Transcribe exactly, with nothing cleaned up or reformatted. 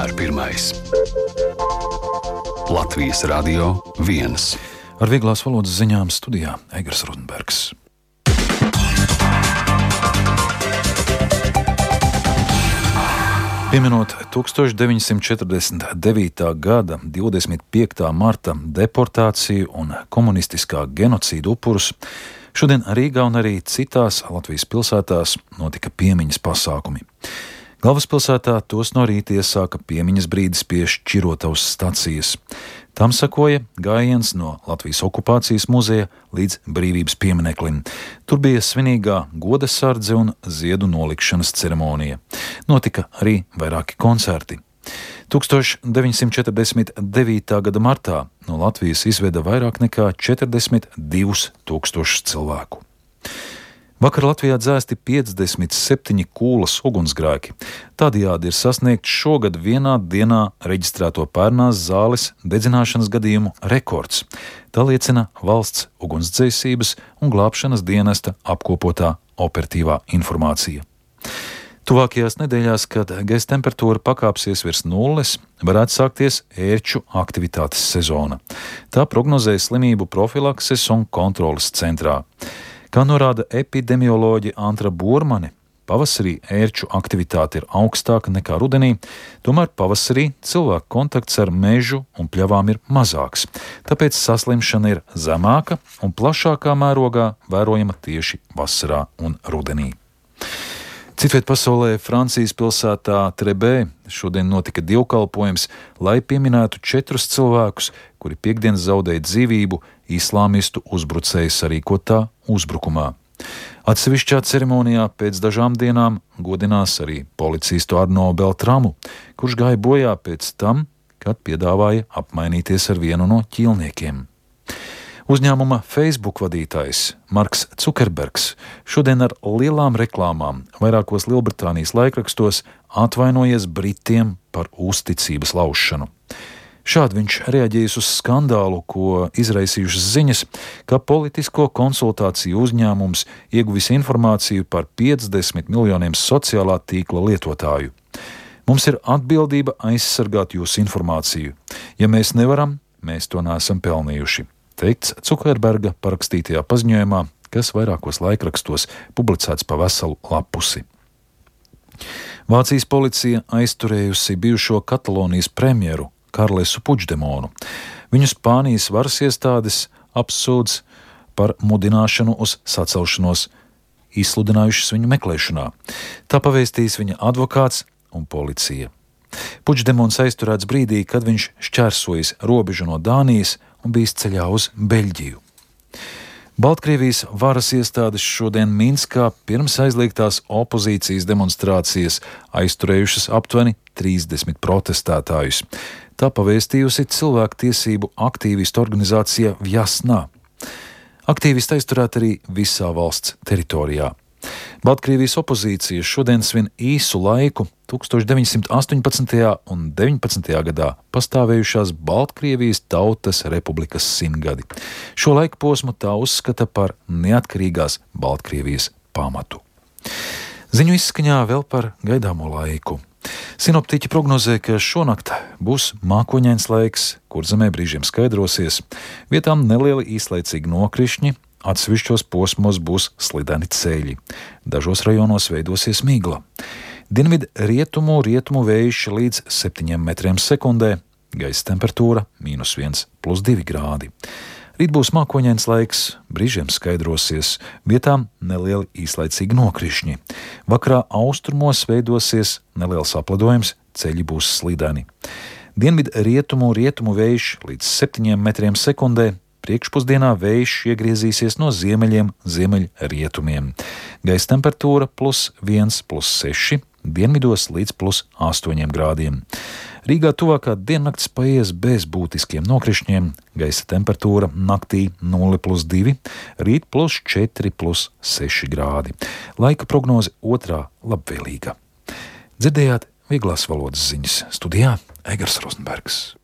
vienmēr pirmais. Latvijas Radio viens. Ar vieglās valodas ziņām studijā Egars Rozenbergs. Pieminot tūkstoš deviņsimt četrdesmit devītā gada divdesmit piektā marta deportāciju un komunistiskā genocīda upurus, šodien Rīgā un arī citās Latvijas pilsētās notika piemiņas pasākumi. Galvaspilsētā tos no rīta iesāka piemiņas brīdis pie Šķirotavas stacijas. Tam sakoja gājiens no Latvijas okupācijas muzeja līdz Brīvības piemineklim. Tur bija svinīgā godasardze un ziedu nolikšanas ceremonija. Notika arī vairāki koncerti. tūkstoš deviņsimt četrdesmit devītā gada martā no Latvijas izveda vairāk nekā četrdesmit divus tūkstošus cilvēku. Vakar Latvijā dzēsti piecdesmit septiņi kūlas ugunsgrēki. Tādējādi ir sasniegts šogad vienā dienā reģistrēto pērnās zāles dedzināšanas gadījumu rekords. Tā liecina valsts ugunsdzēsības un glābšanas dienesta apkopotā operatīvā informācija. Tuvākajās nedēļās, kad gaisa temperatūra pakāpsies virs nulles, varētu sākties ērču aktivitātes sezona. Tā prognozē slimību profilakses un kontroles centrā. Kā norāda epidemioloģe Antra Burmane, pavasarī ērču aktivitāte ir augstāka nekā rudenī, tomēr pavasarī cilvēku kontakts ar mežu un pļavām ir mazāks, tāpēc saslimšana ir zemāka un plašākā mērogā vērojama tieši vasarā un rudenī. Citviet pasaulē Francijas pilsētā Trebē šodien notika dievkalpojums, lai pieminētu četrus cilvēkus, kuri piektdien zaudēja dzīvību islāmistu uzbrucēju sarīkotā uzbrukumā. Atsevišķā ceremonijā pēc dažām dienām godinās arī policistu Arno Beltramu, kurš gāja bojā pēc tam, kad piedāvāja apmainīties ar vienu no ķīlniekiem. Uzņēmuma Facebook vadītājs Marks Cukerbergs šodien ar lielām reklāmām vairākos Lielbritānijas laikrakstos atvainojies Britiem par uzticības laušanu. Šādi viņš reaģējis uz skandālu, ko izraisījušas ziņas, ka politisko konsultāciju uzņēmums ieguvis informāciju par piecdesmit miljoniem sociālā tīkla lietotāju. Mums ir atbildība aizsargāt jūsu informāciju. Ja mēs nevaram, mēs to neesam pelnījuši. Teikts Cukerberga parakstītajā paziņojumā, kas vairākos laikrakstos publicēts pa veselu lapusi. Vācijas policija aizturējusi bijušo Katalonijas premjeru Karlesu Puigdemonu. Viņu Spānijas varas iestādes apsūdz par mudināšanu uz sacelšanos, izsludinājušas viņu meklēšanā. Tā pavēstīs viņa advokāts un policija. Puigdemons aizturēts brīdī, kad viņš šķērsojis robežu no Dānijas un bijis ceļā uz Beļģiju. Baltkrievijas varas iestādes šodien Minskā pirms aizliegtās opozīcijas demonstrācijas aizturējušas aptuveni trīsdesmit protestētājus. Tā pavēstījusi cilvēktiesību aktīvistu organizācija Vjasna. Aktīvisti aizturēti arī visā valsts teritorijā. Baltkrievijas opozīcija šodien svin īsu laiku tūkstoš deviņsimt astoņpadsmitajā un deviņpadsmitajā gadā pastāvējušās Baltkrievijas Tautas Republikas simtgadi. Šo laika posmu tā uzskata par neatkarīgās Baltkrievijas pamatu. Ziņu izskaņā vēl par gaidāmo laiku. Sinoptiķi prognozē, ka šonakt būs mākoņains laiks, kur zemē brīžiem skaidrosies, vietām nelieli īslaicīgi nokrišņi, atsevišķos posmos būs slideni ceļi. Dažos rajonos veidosies migla. Dienvidu rietumu rietumu vējš līdz septiņiem metriem sekundē, gaisa temperatūra mīnus viens plus divi grādi. Rīt būs mākoņains laiks, brīžiem skaidrosies, vietām nelieli īslaicīgi nokrišņi. Vakarā austrumos veidosies neliels apledojums, ceļi būs slideni. Dienvidu rietumu rietumu vējš līdz septiņiem metriem sekundē, priekšpusdienā vējš iegriezīsies no ziemeļiem ziemeļrietumiem. Gaisa temperatūra plus viens plus seši, dienvidos līdz plus astoņiem grādiem. Rīgā tuvākā diennakts paies bez būtiskiem nokrišņiem, gaisa temperatūra naktī nulle plus divi, rīt plus četri plus seši grādi. Laika prognoze otrā labvēlīga. Dzirdējāt vieglās valodas ziņas, studijā Egars Rozenbergs.